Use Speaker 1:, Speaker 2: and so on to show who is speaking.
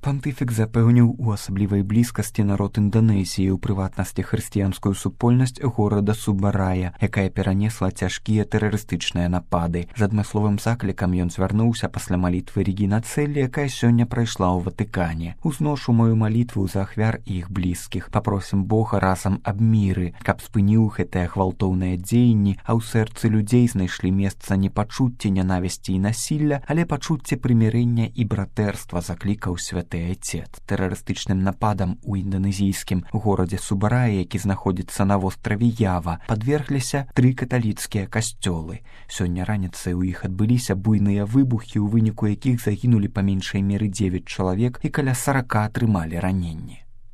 Speaker 1: Пантыфік запэўніў у асаблівай блізкасці народ Інданезіі, у прыватнасці хрысціянскую супольнасць горада Субарая, якая перанесла цяжкія тэрарыстычныя напады. З адмысловым заклікам ён звярнуўся пасля малітвы Регіна Цэллі, якая сёння прайшла ў Ватыкане. Узношу мою малітву за ахвяр і іх блізкіх. Папросім Бога разам аб міры, каб спыніў гэтыя гвалтоўныя дзеянні, а ў сэрцы людзей знайшлі месца не пачуцці нянавісці і насілля, але пачуцці прымірэння і братэрства, заклікаў святы Айцец. Тэрарыстычным нападам у інданезійскім горадзе Субарая, які знаходзіцца на востраве Ява, падвергліся 3 каталіцкія касцёлы. Сёння раніцай у іх адбыліся буйныя выбухі, у выніку якіх загінулі па меншай меры 9 чалавек і каля 40 атрымалі раненні.